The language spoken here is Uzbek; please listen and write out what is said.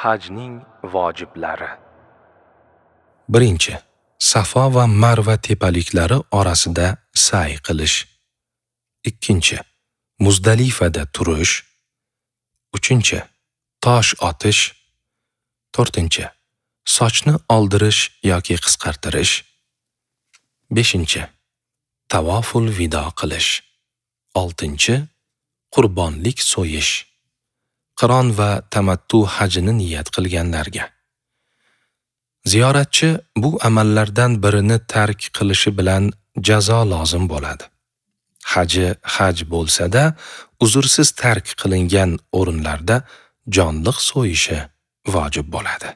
Hajning vojiblari. Birinchi, Safo va Marva tepaliklari orasida sa'y qilish. Ikkinchi, Muzdalifada turish. Uchinchi, tosh otish. To'rtinchi, sochni oldirish yoki qisqartirish. Beshinchi, tavoful vido qilish. Oltinchi, qurbonlik so'yish. Qiron va tamattu hajini niyat qilganlarga. Ziyoratchi bu amallardan birini tark qilishi bilan jazo lozim bo'ladi. Haji haj bo'lsa-da, uzrsiz tark qilingan o'rinlarda jonliq so'yishi vojib bo'ladi.